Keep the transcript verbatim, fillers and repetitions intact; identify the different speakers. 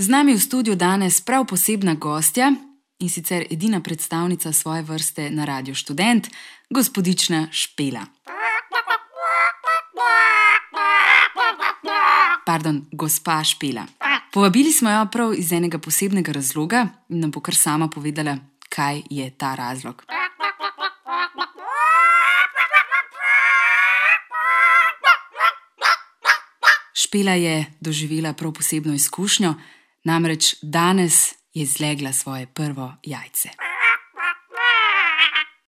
Speaker 1: Z nami v studiu danes prav posebna gostja in sicer edina predstavnica svoje vrste na Radiu Študent, gospodična Špela. Pardon, gospa Špela. Povabili smo jo prav iz enega posebnega razloga in nam bo kar sama povedala, kaj je ta razlog. Špela je doživela prav posebno izkušnjo, namreč danes je zlegla svoje prvo jajce.